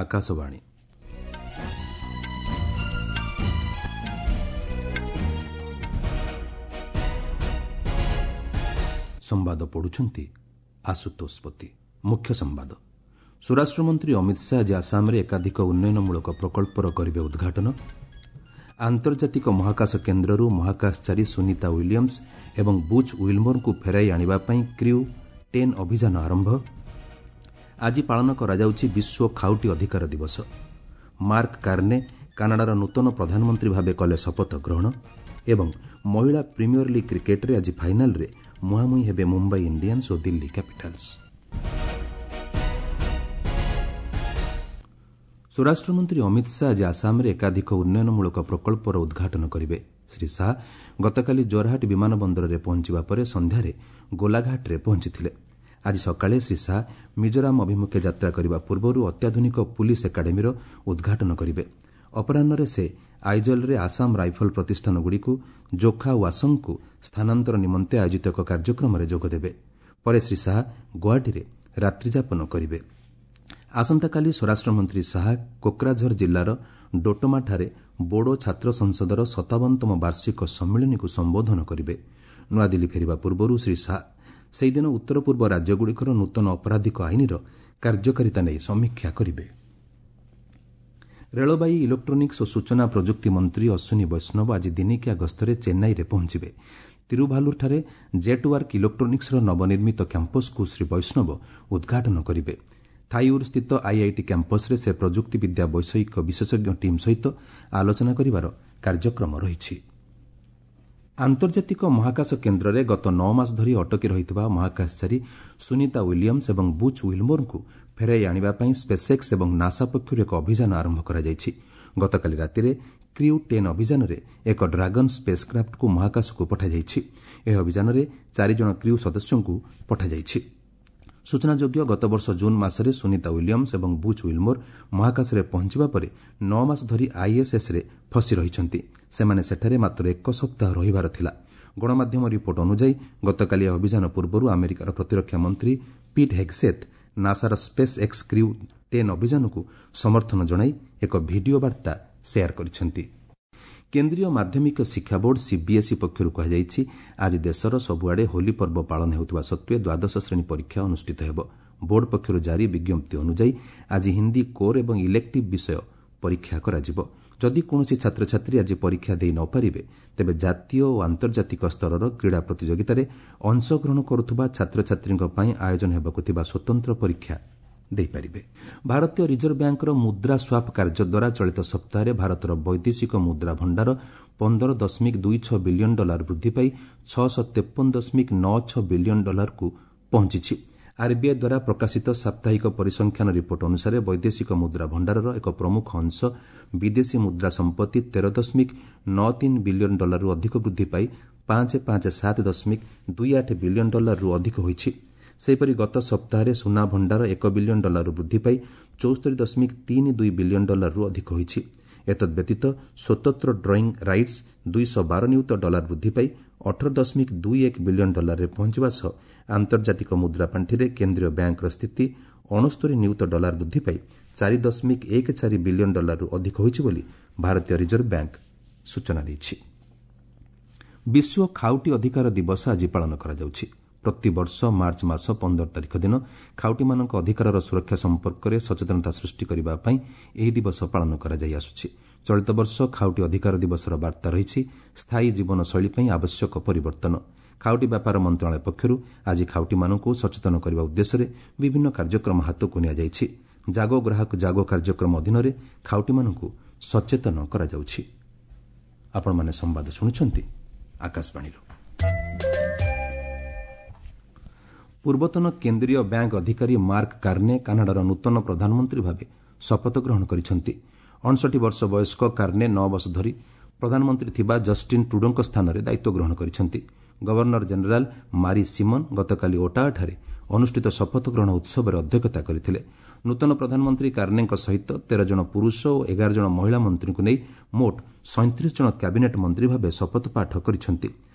ଆକାଶବାଣୀ। ସମ୍ବାଦ ପଢ଼ୁଛନ୍ତି ଆଶୁତୋଷ ପତି। ମୁଖ୍ୟ ସମ୍ବାଦ। ସ୍ୱରାଷ୍ଟ୍ରମନ୍ତ୍ରୀ ଅମିତ ଶାହା ଆଜି ଆସାମରେ ଏକାଧିକ ଉନ୍ନୟନମୂଳକ ପ୍ରକଳ୍ପର କରିବେ ଉଦ୍ଘାଟନ। ଆନ୍ତର୍ଜାତିକ ମହାକାଶ କେନ୍ଦ୍ରରୁ ମହାକାଶଚାରୀ ସୁନୀତା ୱିଲିୟମ୍ସ ଏବଂ ବୁଚ୍ ୱିଲ୍ମୋରଙ୍କୁ ଫେରାଇ ଆଣିବା ପାଇଁ କ୍ରିଉ 10 ଅଭିଯାନ ଆରମ୍ଭ। ଆଜି ପାଳନ କରାଯାଉଛି ବିଶ୍ୱ ଖାଉଟି ଅଧିକାର ଦିବସ। ମାର୍କ କାର୍ନେ କାନାଡାର ନୂତନ ପ୍ରଧାନମନ୍ତ୍ରୀ ଭାବେ କଲେ ଶପଥ ଗ୍ରହଣ। ଏବଂ ମହିଳା ପ୍ରିମିୟର ଲିଗ୍ କ୍ରିକେଟ୍ରେ ଆଜି ଫାଇନାଲ୍ରେ ମୁହାଁମୁହିଁ ହେବେ ମୁମ୍ବାଇ ଇଣ୍ଡିଆନ୍ସ ଓ ଦିଲ୍ଲୀ କ୍ୟାପିଟାଲ୍ସ। ସ୍ୱରାଷ୍ଟ୍ରମନ୍ତ୍ରୀ ଅମିତ ଶାହା ଆଜି ଆସାମରେ ଏକାଧିକ ଉନ୍ନୟନମୂଳକ ପ୍ରକଳ୍ପର ଉଦ୍ଘାଟନ କରିବେ। ଶ୍ରୀ ଶାହା ଗତକାଲି ଜୋରହାଟ ବିମାନ ବନ୍ଦରରେ ପହଞ୍ଚିବା ପରେ ସନ୍ଧ୍ୟାରେ ଗୋଲାଘାଟରେ ପହଞ୍ଚିଥିଲେ। ଆଜି ସକାଳେ ଶ୍ରୀ ଶାହା ମିଜୋରାମ ଅଭିମୁଖେ ଯାତ୍ରା କରିବା ପୂର୍ବରୁ ଅତ୍ୟାଧୁନିକ ପୁଲିସ୍ ଏକାଡେମୀର ଉଦ୍ଘାଟନ କରିବେ। ଅପରାହ୍ନରେ ସେ ଆଇଜଲ୍ରେ ଆସାମ ରାଇଫଲ୍ ପ୍ରତିଷ୍ଠାନଗୁଡ଼ିକୁ ଜୋଖା ୱାସଙ୍ଗକୁ ସ୍ଥାନାନ୍ତର ନିମନ୍ତେ ଆୟୋଜିତ ଏକ କାର୍ଯ୍ୟକ୍ରମରେ ଯୋଗଦେବେ। ପରେ ଶ୍ରୀ ଶାହା ଗୁଆହାଟୀରେ ରାତ୍ରିଯାପନ କରିବେ। ଆସନ୍ତାକାଲି ସ୍ୱରାଷ୍ଟ୍ରମନ୍ତ୍ରୀ ଶାହା କୋକ୍ରାଝର ଜିଲ୍ଲାର ଡୋଟମାଠାରେ ବୋଡୋ ଛାତ୍ର ସଂସଦର 57ତମ ବାର୍ଷିକ ସମ୍ମିଳନୀକୁ ସମ୍ବୋଧନ କରିବେ। ନୂଆଦିଲ୍ଲୀ ଫେରିବା ପୂର୍ବରୁ ଶ୍ରୀ ଶାହା ସେହିଦିନ ଉତ୍ତର ପୂର୍ବ ରାଜ୍ୟଗୁଡ଼ିକର ନୂତନ ଅପରାଧିକ ଆଇନର କାର୍ଯ୍ୟକାରିତା ନେଇ ସମୀକ୍ଷା କରିବେ। ରେଳବାଇ, ଇଲେକ୍ଟ୍ରୋନିକ୍ସ ଓ ସୂଚନା ପ୍ରଯୁକ୍ତି ମନ୍ତ୍ରୀ ଅଶ୍ୱିନୀ ବୈଷ୍ଣବ ଆଜି ଦିନିକିଆ ଗସ୍ତରେ ଚେନ୍ନାଇରେ ପହଞ୍ଚିବେ। ତିରୁଭାଲୁରଠାରେ ଜେଟ୍ୱାର୍କ ଇଲେକ୍ଟ୍ରୋନିକ୍ସର ନବନିର୍ମିତ କ୍ୟାମ୍ପସ୍କୁ ଶ୍ରୀ ବୈଷ୍ଣବ ଉଦ୍ଘାଟନ କରିବେ। ଥାଇଉର୍ ସ୍ଥିତ ଆଇଆଇଟି କ୍ୟାମ୍ପସ୍ରେ ସେ ପ୍ରଯୁକ୍ତିବିଦ୍ୟା ବୈଷୟିକ ବିଶେଷଜ୍ଞ ଟିମ୍ ସହିତ ଆଲୋଚନା କରିବାର କାର୍ଯ୍ୟକ୍ରମ ରହିଛି। ଆନ୍ତର୍ଜାତିକ ମହାକାଶ କେନ୍ଦ୍ରରେ ଗତ 9 ମାସ ଧରି ଅଟକି ରହିଥିବା ମହାକାଶଚାରୀ ସୁନୀତା ୱିଲିୟମ୍ସ ଏବଂ ବୁଚ୍ ୱିଲ୍ମୋରଙ୍କୁ ଫେରାଇ ଆଣିବା ପାଇଁ ସ୍ପେସ୍ଏକ୍ସ ଏବଂ ନାସା ପକ୍ଷରୁ ଏକ ଅଭିଯାନ ଆରମ୍ଭ କରାଯାଇଛି। ଗତକାଲି ରାତିରେ କ୍ରିଉ 10 ଅଭିଯାନରେ ଏକ ଡ୍ରାଗନ୍ ସ୍ପେସ୍କ୍ରାଫ୍ଟକୁ ମହାକାଶକୁ ପଠାଯାଇଛି। ଏହି ଅଭିଯାନରେ 4 ଜଣ କ୍ରିଉ ସଦସ୍ୟଙ୍କୁ ପଠାଯାଇଛି। ସୂଚନାଯୋଗ୍ୟ, ଗତବର୍ଷ ଜୁନ୍ ମାସରେ ସୁନୀତା ୱିଲିୟମ୍ସ ଏବଂ ବୁଚ୍ ୱିଲ୍ମୋର ମହାକାଶରେ ପହଞ୍ଚିବା ପରେ 9 ମାସ ଧରି ଆଇଏସ୍ଏସ୍ରେ ଫସି ରହିଛନ୍ତି। ସେମାନେ ସେଠାରେ ମାତ୍ର ଏକ ସପ୍ତାହ ରହିବାର ଥିଲା। ଗଣମାଧ୍ୟମ ରିପୋର୍ଟ ଅନୁଯାୟୀ, ଗତକାଲି ଏହି ଅଭିଯାନ ପୂର୍ବରୁ ଆମେରିକାର ପ୍ରତିରକ୍ଷା ମନ୍ତ୍ରୀ ପିଟ୍ ହେଗ୍ସେଥ୍ ନାସାର ସ୍ପେସ୍ ଏକ୍ସ କ୍ରିଉ 10 ଅଭିଯାନକୁ ସମର୍ଥନ ଜଣାଇ ଏକ ଭିଡିଓ ବାର୍ତ୍ତା ସେୟାର କରିଛନ୍ତି। କେନ୍ଦ୍ରୀୟ ମାଧ୍ୟମିକ ଶିକ୍ଷା ବୋର୍ଡ ସିବିଏସ୍ଇ ପକ୍ଷରୁ କୁହାଯାଇଛି, ଆଜି ଦେଶର ସବୁଆଡ଼େ ହୋଲି ପର୍ବ ପାଳନ ହେଉଥିବା ସତ୍ତ୍ୱେ ଦ୍ୱାଦଶ ଶ୍ରେଣୀ ପରୀକ୍ଷା ଅନୁଷ୍ଠିତ ହେବ। ବୋର୍ଡ ପକ୍ଷରୁ ଜାରି ବିଜ୍ଞପ୍ତି ଅନୁଯାୟୀ, ଆଜି ହିନ୍ଦୀ କୋର୍ ଏବଂ ଇଲେକ୍ଟିଭ୍ ବିଷୟ ପରୀକ୍ଷା କରାଯିବ। ଯଦି କୌଣସି ଛାତ୍ରଛାତ୍ରୀ ଆଜି ପରୀକ୍ଷା ଦେଇ ନ ପାରିବେ, ତେବେ ଜାତୀୟ ଓ ଆନ୍ତର୍ଜାତିକ ସ୍ତରର କ୍ରୀଡ଼ା ପ୍ରତିଯୋଗିତାରେ ଅଂଶଗ୍ରହଣ କରୁଥିବା ଛାତ୍ରଛାତ୍ରୀଙ୍କ ପାଇଁ ଆୟୋଜନ ହେବାକୁ ଥିବା ସ୍ୱତନ୍ତ୍ର ପରୀକ୍ଷା ଦେଇପାରିବେ। ଭାରତୀୟ ରିଜର୍ଭ ବ୍ୟାଙ୍କର ମୁଦ୍ରା ସ୍ୱାପ୍ କାର୍ଯ୍ୟ ଦ୍ୱାରା ଚଳିତ ସପ୍ତାହରେ ଭାରତର ବୈଦେଶିକ ମୁଦ୍ରା ଭଣ୍ଡାର 15.26 ବିଲିୟନ ଡଲାର ବୃଦ୍ଧି ପାଇ 653.96 ବିଲିୟନ ଡଲାରକୁ ପହଞ୍ଚିଛି। ଆର୍ବିଆଇ ଦ୍ୱାରା ପ୍ରକାଶିତ ସାପ୍ତାହିକ ପରିସଂଖ୍ୟାନ ରିପୋର୍ଟ ଅନୁସାରେ, ବୈଦେଶିକ ମୁଦ୍ରା ଭଣ୍ଡାରର ଏକ ପ୍ରମୁଖ ଅଂଶ ବିଦେଶୀ ମୁଦ୍ରା ସମ୍ପତ୍ତି 13.93 ବିଲିୟନ ଡଲାରରୁ ଅଧିକ ବୃଦ୍ଧି ପାଇ 557.28 ବିଲିୟନ ଡଲାରରୁ ଅଧିକ ହୋଇଛି। ସେହିପରି ଗତ ସପ୍ତାହରେ ସୁନା ଭଣ୍ଡାର 1 ବିଲିୟନ ଡଲାରରୁ ବୃଦ୍ଧି ପାଇ 74.32 ବିଲିୟନ ଡଲାରରୁ ଅଧିକ ହୋଇଛି। ଏତଦ୍ବ୍ୟତୀତ ସ୍ୱତନ୍ତ୍ର ଡ୍ରଇଂ ରାଇଟ୍ସ 212 ନିୟୁତ ଡଲାର ବୃଦ୍ଧି ପାଇ 18.21 ବିଲିୟନ ଡଲାରରେ ପହଞ୍ଚିବା ସହ ଆନ୍ତର୍ଜାତିକ ମୁଦ୍ରା ପାଣ୍ଠିରେ କେନ୍ଦ୍ରୀୟ ବ୍ୟାଙ୍କର ସ୍ଥିତି 69 ନିୟୁତ ଡଲାର ବୃଦ୍ଧି ପାଇ 4.14 ବିଲିୟନ ଡଲାରରୁ ଅଧିକ ହୋଇଛି ବୋଲି ଭାରତୀୟ ରିଜର୍ଭ ବ୍ୟାଙ୍କ ସୂଚନା ଦେଇଛି। ବିଶ୍ୱ ଖାଉଟି ଅଧିକାର ଦିବସ ଆଜି ପାଳନ କରାଯାଉଛି। ପ୍ରତିବର୍ଷ ମାର୍ଚ୍ଚ ମାସ 15 ତାରିଖ ଦିନ ଖାଉଟିମାନଙ୍କ ଅଧିକାରର ସୁରକ୍ଷା ସମ୍ପର୍କରେ ସଚେତନତା ସୃଷ୍ଟି କରିବା ପାଇଁ ଏହି ଦିବସ ପାଳନ କରାଯାଇ ଆସୁଛି। ଚଳିତ ବର୍ଷ ଖାଉଟି ଅଧିକାର ଦିବସର ବାର୍ତ୍ତା ରହିଛି, ସ୍ଥାୟୀ ଜୀବନଶୈଳୀ ପାଇଁ ଆବଶ୍ୟକ ପରିବର୍ତ୍ତନ। ଖାଉଟି ବ୍ୟାପାର ମନ୍ତ୍ରଣାଳୟ ପକ୍ଷରୁ ଆଜି ଖାଉଟିମାନଙ୍କୁ ସଚେତନ କରିବା ଉଦ୍ଦେଶ୍ୟରେ ବିଭିନ୍ନ କାର୍ଯ୍ୟକ୍ରମ ହାତକୁ ନିଆଯାଇଛି। ଜାଗୋ ଗ୍ରାହକ ଜାଗୋ କାର୍ଯ୍ୟକ୍ରମ ଅଧୀନରେ ଖାଉଟିମାନଙ୍କୁ ସଚେତନ କରାଯାଉଛି। ଆପଣମାନେ ସମ୍ବାଦ ଶୁଣୁଛନ୍ତି ଆକାଶବାଣୀରୁ। ପୂର୍ବତନ କେନ୍ଦ୍ରୀୟ ବ୍ୟାଙ୍କ ଅଧିକାରୀ ମାର୍କ କାର୍ନେ କାନାଡାର ନୂତନ ପ୍ରଧାନମନ୍ତ୍ରୀ ଭାବେ ଶପଥ ଗ୍ରହଣ କରିଛନ୍ତି। 59 ବର୍ଷ ବୟସ୍କ କାର୍ନେ 9 ବର୍ଷ ଧରି ପ୍ରଧାନମନ୍ତ୍ରୀ ଥିବା ଜଷ୍ଟିନ୍ ଟ୍ରୁଡୋଙ୍କ ସ୍ଥାନରେ ଦାୟିତ୍ୱ ଗ୍ରହଣ କରିଛନ୍ତି। ଗଭର୍ଣ୍ଣର ଜେନେରାଲ୍ ମାରି ସିମନ୍ ଗତକାଲି ଓଟାୱାଠାରେ ଅନୁଷ୍ଠିତ ଶପଥ ଗ୍ରହଣ ଉତ୍ସବରେ ଅଧ୍ୟକ୍ଷତା କରିଥିଲେ। ନୂତନ ପ୍ରଧାନମନ୍ତ୍ରୀ କାର୍ନେଙ୍କ ସହିତ 13 ଜଣ ପୁରୁଷ ଓ 11 ଜଣ ମହିଳା ମନ୍ତ୍ରୀଙ୍କୁ ନେଇ ମୋଟ 37 ଜଣ କ୍ୟାବିନେଟ୍ ମନ୍ତ୍ରୀ ଭାବେ ଶପଥପାଠ କରିଛନ୍ତି।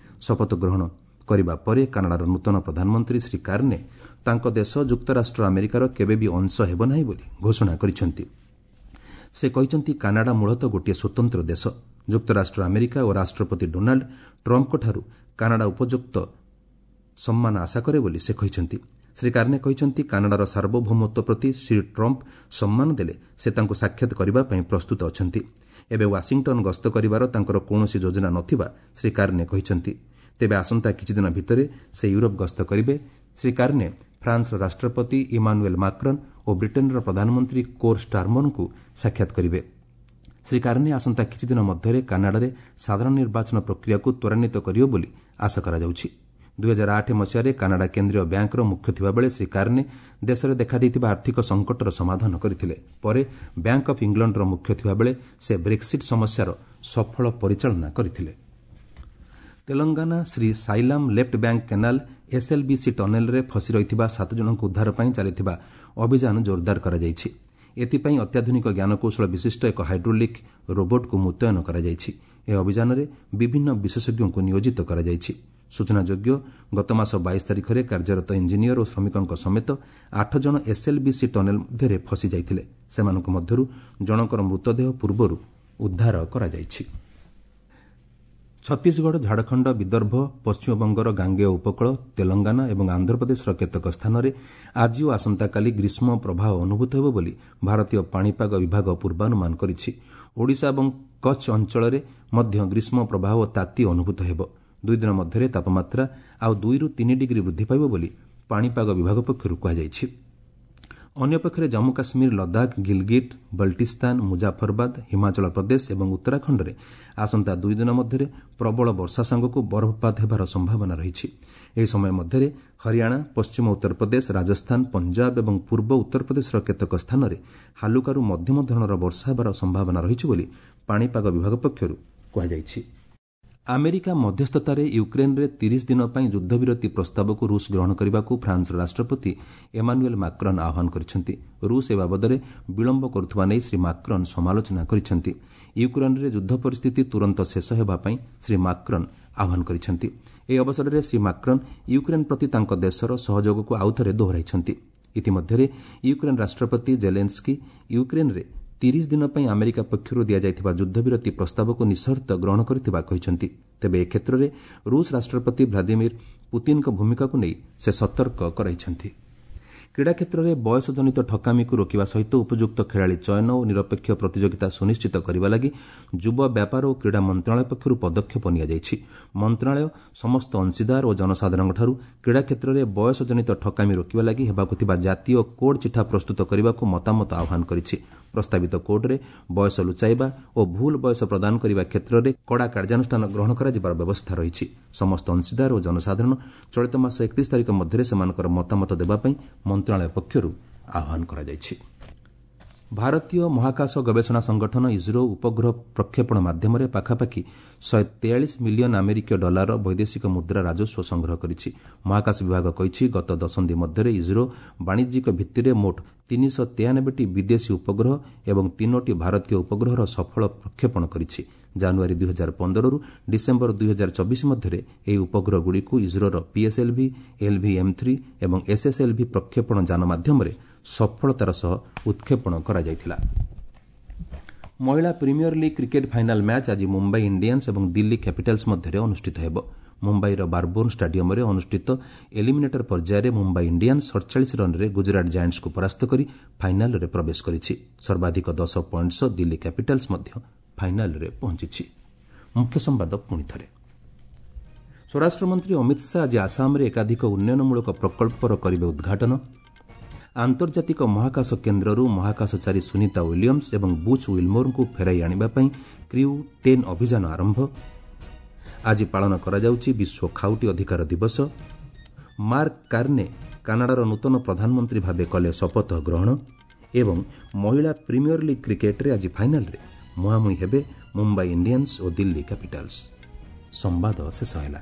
ଶପଥ ଗ୍ରହଣ କରିବା ପରେ କାନାଡାର ନୂତନ ପ୍ରଧାନମନ୍ତ୍ରୀ ଶ୍ରୀ କାର୍ନେ ତାଙ୍କ ଦେଶ ଯୁକ୍ତରାଷ୍ଟ୍ର ଆମେରିକାର କେବେ ବି ଅଂଶ ହେବ ନାହିଁ ବୋଲି ଘୋଷଣା କରିଛନ୍ତି। ସେ କହିଛନ୍ତି, କାନାଡା ମୂଳତଃ ଗୋଟିଏ ସ୍ୱତନ୍ତ୍ର ଦେଶ। ଯୁକ୍ତରାଷ୍ଟ୍ର ଆମେରିକା ଓ ରାଷ୍ଟ୍ରପତି ଡୋନାଲ୍ଡ ଟ୍ରମ୍ପଙ୍କଠାରୁ କାନାଡା ଉପଯୁକ୍ତ ସମ୍ମାନ ଆଶା କରେ ବୋଲି ସେ କହିଛନ୍ତି। ଶ୍ରୀ କାର୍ନେ କହିଛନ୍ତି, କାନାଡାର ସାର୍ବଭୌମତ୍ୱ ପ୍ରତି ଶ୍ରୀ ଟ୍ରମ୍ପ ସମ୍ମାନ ଦେଲେ ସେ ତାଙ୍କୁ ସାକ୍ଷାତ କରିବା ପାଇଁ ପ୍ରସ୍ତୁତ ଅଛନ୍ତି। ଏବେ ୱାଶିଂଟନ ଗସ୍ତ କରିବାର ତାଙ୍କର କୌଣସି ଯୋଜନା ନଥିବା ଶ୍ରୀ କାର୍ନେ କହିଛନ୍ତି। ତେବେ ଆସନ୍ତା କିଛିଦିନ ଭିତରେ ସେ ୟୁରୋପ ଗସ୍ତ କରିବେ। ଶ୍ରୀ କାର୍ନେ ଫ୍ରାନ୍ସର ରାଷ୍ଟ୍ରପତି ଇମାନୁଏଲ୍ ମାକ୍ରନ୍ ଓ ବ୍ରିଟେନ୍ର ପ୍ରଧାନମନ୍ତ୍ରୀ କୋର୍ ଷ୍ଟାର୍ମରଙ୍କୁ ସାକ୍ଷାତ କରିବେ। ଶ୍ରୀ କାର୍ନେ ଆସନ୍ତା କିଛିଦିନ ମଧ୍ୟରେ କାନାଡାରେ ସାଧାରଣ ନିର୍ବାଚନ ପ୍ରକ୍ରିୟାକୁ ତ୍ୱରାନ୍ୱିତ କରିବେ ବୋଲି ଆଶା କରାଯାଉଛି। 2008 ମସିହାରେ କାନାଡା କେନ୍ଦ୍ରୀୟ ବ୍ୟାଙ୍କର ମୁଖ୍ୟ ଥିବାବେଳେ ଶ୍ରୀ କାର୍ନେ ଦେଶରେ ଦେଖାଦେଇଥିବା ଆର୍ଥିକ ସଙ୍କଟର ସମାଧାନ କରିଥିଲେ। ପରେ ବ୍ୟାଙ୍କ ଅଫ୍ ଇଂଲଣ୍ଡର ମୁଖ୍ୟ ଥିବାବେଳେ ସେ ବ୍ରେକ୍ସିଟ୍ ସମସ୍ୟାର ସଫଳ ପରିଚାଳନା କରିଥିଲେ। Telangana Srisailam left bank canal SLBC ଟନେଲ୍ରେ ଫସି ରହିଥିବା 7 ଜଣଙ୍କୁ ଉଦ୍ଧାର ପାଇଁ ଚାଲିଥିବା ଅଭିଯାନ ଜୋରଦାର କରାଯାଇଛି। ଏଥିପାଇଁ ଅତ୍ୟାଧୁନିକ ଜ୍ଞାନକୌଶଳ ବିଶିଷ୍ଟ ଏକ ହାଇଡ୍ରୋଲିକ୍ ରୋବୋଟ୍କୁ ମୁତୟନ କରାଯାଇଛି। ଏହି ଅଭିଯାନରେ ବିଭିନ୍ନ ବିଶେଷଜ୍ଞଙ୍କୁ ନିୟୋଜିତ କରାଯାଇଛି। ସୂଚନାଯୋଗ୍ୟ, ଗତମାସ 22 ତାରିଖରେ କାର୍ଯ୍ୟରତ ଇଞ୍ଜିନିୟର ଓ ଶ୍ରମିକଙ୍କ ସମେତ 8 ଜଣ ଏସ୍ଏଲ୍ବିସି ଟନେଲ୍ ମଧ୍ୟରେ ଫସି ଯାଇଥିଲେ। ସେମାନଙ୍କ ମଧ୍ୟରୁ ଜଣଙ୍କର ମୃତଦେହ ପୂର୍ବରୁ ଉଦ୍ଧାର କରାଯାଇଛି। ଛତିଶଗଡ଼, ଝାଡ଼ଖଣ୍ଡ, ବିଦର୍ଭ, ପଶ୍ଚିମବଙ୍ଗର ଗାଙ୍ଗେୟ ଉପକୂଳ, ତେଲଙ୍ଗାନା ଏବଂ ଆନ୍ଧ୍ରପ୍ରଦେଶର କେତେକ ସ୍ଥାନରେ ଆଜି ଓ ଆସନ୍ତାକାଲି ଗ୍ରୀଷ୍ମ ପ୍ରବାହ ଅନୁଭୂତ ହେବ ବୋଲି ଭାରତୀୟ ପାଣିପାଗ ବିଭାଗ ପୂର୍ବାନୁମାନ କରିଛି। ଓଡ଼ିଶା ଏବଂ କଚ୍ଛ ଅଞ୍ଚଳରେ ମଧ୍ୟ ଗ୍ରୀଷ୍ମ ପ୍ରବାହ ଓ ତାତି ଅନୁଭୂତ ହେବ। 2 ଦିନ ମଧ୍ୟରେ ତାପମାତ୍ରା ଆଉ 2ରୁ 3 ଡିଗ୍ରୀ ବୃଦ୍ଧି ପାଇବ ବୋଲି ପାଣିପାଗ ବିଭାଗ ପକ୍ଷରୁ କୁହାଯାଇଛି। ଅନ୍ୟପକ୍ଷରେ ଜାମ୍ମୁ କାଶ୍ମୀର, ଲଦାଖ, ଗିଲଗିଟ୍ ବଲ୍ଟିସ୍ତାନ, ମୁଜାଫରବାଦ, ହିମାଚଳ ପ୍ରଦେଶ ଏବଂ ଉତ୍ତରାଖଣ୍ଡରେ ଆସନ୍ତା 2 ଦିନ ମଧ୍ୟରେ ପ୍ରବଳ ବର୍ଷା ସାଙ୍ଗକୁ ବରଫପାତ ହେବାର ସମ୍ଭାବନା ରହିଛି। ଏହି ସମୟ ମଧ୍ୟରେ ହରିୟାଣା, ପଶ୍ଚିମ ଉତ୍ତରପ୍ରଦେଶ, ରାଜସ୍ଥାନ, ପଞ୍ଜାବ ଏବଂ ପୂର୍ବ ଉତ୍ତରପ୍ରଦେଶର କେତେକ ସ୍ଥାନରେ ହାଲୁକାରୁ ମଧ୍ୟମ ଧରଣର ବର୍ଷା ହେବାର ସମ୍ଭାବନା ରହିଛି ବୋଲି ପାଣିପାଗ ବିଭାଗ ପକ୍ଷରୁ କୁହାଯାଇଛି। ଆମେରିକା ମଧ୍ୟସ୍ଥତାରେ ୟୁକ୍ରେନ୍ରେ 30 ଦିନ ପାଇଁ ଯୁଦ୍ଧବିରତି ପ୍ରସ୍ତାବକୁ ରୁଷ ଗ୍ରହଣ କରିବାକୁ ଫ୍ରାନ୍ସର ରାଷ୍ଟ୍ରପତି ଏମାନୁଏଲ୍ ମାକ୍ରନ୍ ଆହ୍ୱାନ କରିଛନ୍ତି। ରୁଷ ଏ ବାବଦରେ ବିଳମ୍ବ କରୁଥିବା ନେଇ ଶ୍ରୀ ମାକ୍ରନ୍ ସମାଲୋଚନା କରିଛନ୍ତି। ୟୁକ୍ରେନ୍ରେ ଯୁଦ୍ଧ ପରିସ୍ଥିତି ତୁରନ୍ତ ଶେଷ ହେବା ପାଇଁ ଶ୍ରୀ ମାକ୍ରନ୍ ଆହ୍ୱାନ କରିଛନ୍ତି। ଏହି ଅବସରରେ ଶ୍ରୀ ମାକ୍ରନ୍ ୟୁକ୍ରେନ୍ ପ୍ରତି ତାଙ୍କ ଦେଶର ସହଯୋଗକୁ ଆଉଥରେ ଦୋହରାଇଛନ୍ତି। ଇତିମଧ୍ୟରେ ୟୁକ୍ରେନ୍ ରାଷ୍ଟ୍ରପତି ଜେଲେନ୍ସ୍କି ୟୁକ୍ରେନ୍ରେ 30 ଦିନ ପାଇଁ ଆମେରିକା ପକ୍ଷରୁ ଦିଆଯାଇଥିବା ଯୁଦ୍ଧବିରତି ପ୍ରସ୍ତାବକୁ ନିଃସର୍ତ୍ତ ଗ୍ରହଣ କରିଥିବା କହିଛନ୍ତି। ତେବେ ଏ କ୍ଷେତ୍ରରେ ରୁଷ ରାଷ୍ଟ୍ରପତି ଭ୍ଲାଦିମିର ପୁତିନ୍ଙ୍କ ଭୂମିକାକୁ ନେଇ ସେ ସତର୍କ କରାଇଛନ୍ତି। କ୍ରୀଡ଼ା କ୍ଷେତ୍ରରେ ବୟସଜନିତ ଠକାମିକୁ ରୋକିବା ସହିତ ଉପଯୁକ୍ତ ଖେଳାଳି ଚୟନ ଓ ନିରପେକ୍ଷ ପ୍ରତିଯୋଗିତା ସୁନିଶ୍ଚିତ କରିବା ଲାଗି ଯୁବ ବ୍ୟାପାର ଓ କ୍ରୀଡ଼ା ମନ୍ତ୍ରଣାଳୟ ପକ୍ଷରୁ ପଦକ୍ଷେପ ନିଆଯାଇଛି। ମନ୍ତ୍ରଣାଳୟ ସମସ୍ତ ଅଂଶୀଦାର ଓ ଜନସାଧାରଣଙ୍କଠାରୁ କ୍ରୀଡ଼ା କ୍ଷେତ୍ରରେ ବୟସଜନିତ ଠକାମି ରୋକିବା ଲାଗି ହେବାକୁ ଥିବା ଜାତୀୟ କୋଡ୍ ଚିଠା ପ୍ରସ୍ତୁତ କରିବାକୁ ମତାମତ ଆହ୍ୱାନ କରିଛି। ପ୍ରସ୍ତାବିତ କୋଡ୍ରେ ବୟସ ଲୁଚାଇବା ଓ ଭୁଲ ବୟସ ପ୍ରଦାନ କରିବା କ୍ଷେତ୍ରରେ କଡ଼ା କାର୍ଯ୍ୟାନୁଷ୍ଠାନ ଗ୍ରହଣ କରାଯିବାର ବ୍ୟବସ୍ଥା ରହିଛି। ସମସ୍ତ ଅଂଶୀଦାର ଓ ଜନସାଧାରଣ ଚଳିତ ମାସ 31 ତାରିଖ ମଧ୍ୟରେ ସେମାନଙ୍କର ମତାମତ ଦେବା ପାଇଁ ମନ୍ତ୍ରଣାଳୟ ପକ୍ଷରୁ ଆହ୍ୱାନ କରାଯାଇଛି। ଭାରତୀୟ ମହାକାଶ ଗବେଷଣା ସଂଗଠନ ଇସ୍ରୋ ଉପଗ୍ରହ ପ୍ରକ୍ଷେପଣ ମାଧ୍ୟମରେ ପାଖାପାଖି 143 ମିଲିୟନ ଆମେରିକୀୟ ଡଲାରର ବୈଦେଶିକ ମୁଦ୍ରା ରାଜସ୍ୱ ସଂଗ୍ରହ କରିଛି। ମହାକାଶ ବିଭାଗ କହିଛି, ଗତ ଦଶନ୍ଧି ମଧ୍ୟରେ ଇସ୍ରୋ ବାଣିଜ୍ୟିକ ଭିତ୍ତିରେ ମୋଟ 393ଟି ବିଦେଶୀ ଉପଗ୍ରହ ଏବଂ 3ଟି ଭାରତୀୟ ଉପଗ୍ରହର ସଫଳ ପ୍ରକ୍ଷେପଣ କରିଛି। ଜାନୁଆରୀ 2015ରୁ ଡିସେମ୍ବର 2024 ମଧ୍ୟରେ ଏହି ଉପଗ୍ରହଗୁଡ଼ିକୁ ଇସ୍ରୋର ପିଏସ୍ଏଲ୍ଭି, ଏଲ୍ଭି-ଏମ୍3 ଏବଂ ଏସ୍ଏସ୍ଏଲ୍ଭି ପ୍ରକ୍ଷେପଣ ଯାନ ମାଧ୍ୟମରେ ସଫଳତାର ସହ ଉତ୍କ୍ଷେପଣ କରାଯାଇଥିଲା। ମହିଳା premier league cricket final match ଆଜି ମୁମ୍ବାଇ ଇଣ୍ଡିଆନ୍ସ ଏବଂ ଦିଲ୍ଲୀ କ୍ୟାପିଟାଲ୍ସ ମଧ୍ୟରେ ଅନୁଷ୍ଠିତ ହେବ। ମୁମ୍ବାଇର ବାରବୋର୍ଣ୍ଣ ଷ୍ଟାଡିୟମରେ ଅନୁଷ୍ଠିତ ଏଲିମିନେଟର ପର୍ଯ୍ୟାୟରେ ମୁମ୍ବାଇ ଇଣ୍ଡିଆନ୍ସ 47 ରନ୍ରେ ଗୁଜରାଟ ଜାଏଣ୍ଟସ୍କୁ ପରାସ୍ତ କରି ଫାଇନାଲରେ ପ୍ରବେଶ କରିଛି। ସର୍ବାଧିକ 10 ପଏଣ୍ଟ ସହ ଦିଲ୍ଲୀ କ୍ୟାପିଟାଲ୍ସ ମଧ୍ୟ ଫାଇନାଲରେ ପହଞ୍ଚିଛି। ମୁଖ୍ୟ ସମ୍ବାଦ ପୁଣି ଥରେ। ସ୍ୱରାଷ୍ଟ୍ରମନ୍ତ୍ରୀ ଅମିତ ଶାହା ଆଜି ଆସାମରେ ଏକାଧିକ ଉନ୍ନୟନମୂଳକ ପ୍ରକଳ୍ପର କରିବେ ଉଦ୍ଘାଟନ। ଆନ୍ତର୍ଜାତିକ ମହାକାଶ କେନ୍ଦ୍ରରୁ ମହାକାଶଚାରୀ ସୁନିତା ୱିଲିୟମ୍ସ ଏବଂ ବୁଚ୍ ୱିଲ୍ମୋରଙ୍କୁ ଫେରାଇ ଆଣିବା ପାଇଁ କ୍ରିଉ 10 ଅଭିଯାନ ଆରମ୍ଭ। ଆଜି ପାଳନ କରାଯାଉଛି ବିଶ୍ୱ ଖାଉଟି ଅଧିକାର ଦିବସ। ମାର୍କ କାର୍ନେ କାନାଡାର ନୂତନ ପ୍ରଧାନମନ୍ତ୍ରୀ ଭାବେ କଲେ ଶପଥ ଗ୍ରହଣ। ଏବଂ ମହିଳା ପ୍ରିମିୟର ଲିଗ୍ କ୍ରିକେଟ୍ରେ ଆଜି ଫାଇନାଲରେ ମୁହାଁମୁହିଁ ହେବେ ମୁମ୍ବାଇ ଇଣ୍ଡିଆନ୍ସ ଓ ଦିଲ୍ଲୀ କ୍ୟାପିଟାଲ୍ସ। ସମ୍ବାଦ ଶେଷ ହେଲା।